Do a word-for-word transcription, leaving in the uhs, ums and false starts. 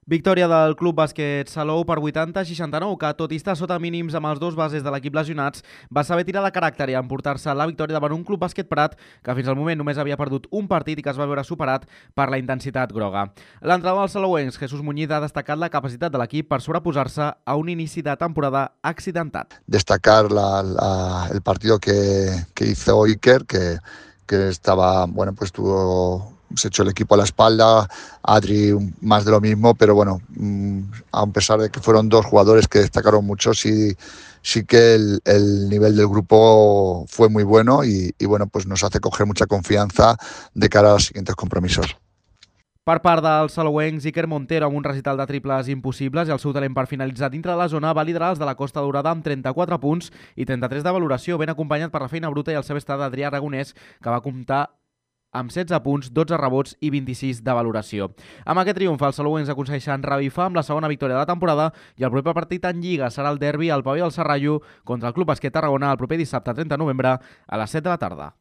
Victòria del Club Bàsquet Salou per vuitanta a seixanta-nou, que tot i estar sota mínims amb els dos bases de l'equip lesionats, va saber tirar de caràcter i emportar-se la victòria davant un Club Bàsquet Prat que fins al moment només havia perdut un partit i que es va veure superat per la intensitat groga. L'entrenador dels salouencs, Jesús Muñiz, ha destacat la capacitat de l'equip per sobreposar-se a un inici de temporada accidentat. Destacar la, la, el partido que, que hizo Iker, que, que estaba, bueno, pues tuvo... se echó el equipo a la espalda, Adri más de lo mismo, pero bueno, a pesar de que fueron dos jugadores que destacaron mucho, sí, sí que el, el nivel del grupo fue muy bueno y, y bueno, pues nos hace coger mucha confianza de cara a los siguientes compromisos. Per part dels salouencs, Iker Montero, amb un recital de triples impossibles i el seu talent per finalitzar dintre de la zona, va liderar els de la Costa Daurada amb trenta-quatre punts i trenta-tres de valoració, ben acompanyat per la feina bruta i el seu estat d'Adrià Aragonès, que va comptar amb setze punts, dotze rebots i vint-i-sis de valoració. Amb aquest triomf, els salouencs aconsegueixen revifar amb la segona victòria de la temporada i el proper partit en Lliga serà el derbi al Pavelló del Serrallo contra el Club Bàsquet Tarragona el proper dissabte trenta de novembre a les set de la tarda.